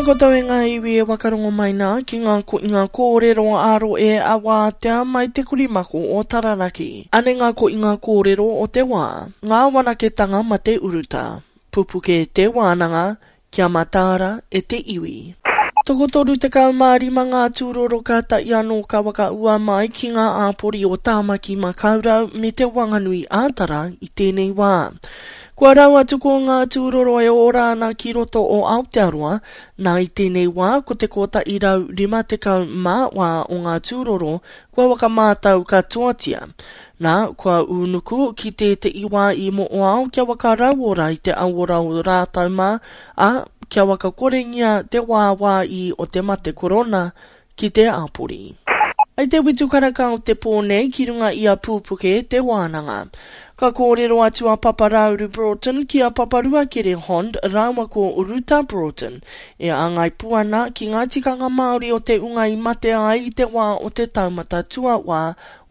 koutou e ngā iwi e wakarongo mai nā ki ngā koinga kōrero ā-rohe a Wātea mai te korimako o Taranaki. Anei ngā koinga kōrero o te wā, ngā wanaketanga mate uruta, pupuke te wānanga, kia mataara e te iwi. Tokotoru 15 ngā tūroro kātahi anō ka whakaua mai ki ngā āpori o Tāmaki Makaurau me Te Wanganui ā-Tara i tēnei wā. Kua rau atu ko ngā tūroro e ora ana ki roto o Aotearoa, nā i tēnei wā ko te 154 o ngā tūroro kua whakamātau katoatia. Nā, kua ūnuku ki tētehi wā i Mo'oao kia whakarauora i te auora o rātau mā, ā, kia whakakorengia te wāwāī o te mate korona ki te āpori. I te whitu karaka o te pō nei ki runga i a Pūpuke te wānanga. Ka kōrero atu a Papa Rāuru Broughton ki a Papa Ruakere Hond rāua ko Ruta Broughton e āngai pū ana ki ngā tikanga Māori o te unga i mate ai i te wā o te taumata tuawā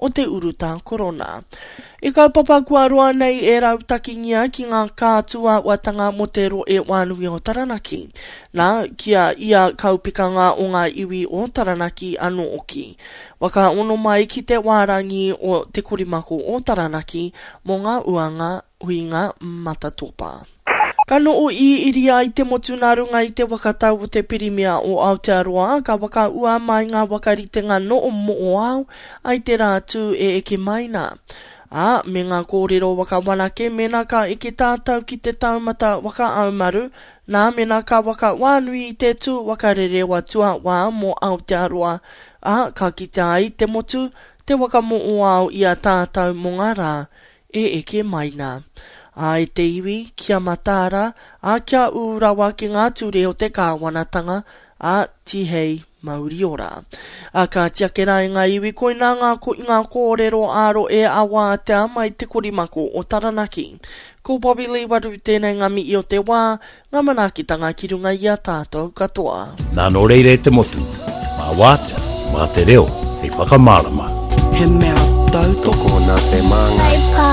o te urutā korona. I kaupapa kua roa nei e rautakingia ki ngā kātuauatanga mō te rohe wānui o Taranaki. Nā, ki a ia kaupekanga o ngā iwi o Taranaki anō oki. Waka ono mai ki te wārangi o Te Korimako o Taranaki mō ngā uanga huinga matatopa. Ka noho iriiri ai te motu nā runga i te waka tau o te Pirimia o Aotearoa, ka whakaua mai ngā whakaritenga noho moʻoao ai te rā tū e eke mai nā. Ā, me ngā kōrero whakawanake mēnā ka eke tātou ki te taumata whakaaumaru, nā mēnā ka whakawānui i te tū whakarerewa tuawā mō Aotearoa, ā, ka kitea ai te motu, te waka moʻoao i a tātou mō ngā rā e eke mai nā. Ā, e te iwi, kia mataara, ā, kia ū rawa ki ngā ture o te kāwanatanga, ā, tihei mauri ora. Ā, kāti ake rā e ngā iwi, koinā ngā koinga kōrero ā-rohe a Wātea mai te korimako o Taranaki. Ko Bobby Lee Waru tēnei ngā mihi o te wā, Ngā manaakitanga ki runga i a tātou katoa. Nā nō reira e te motu, mā Wātea, mā te reo hei whakamārama. He mea tautoko. Tokona te māngai.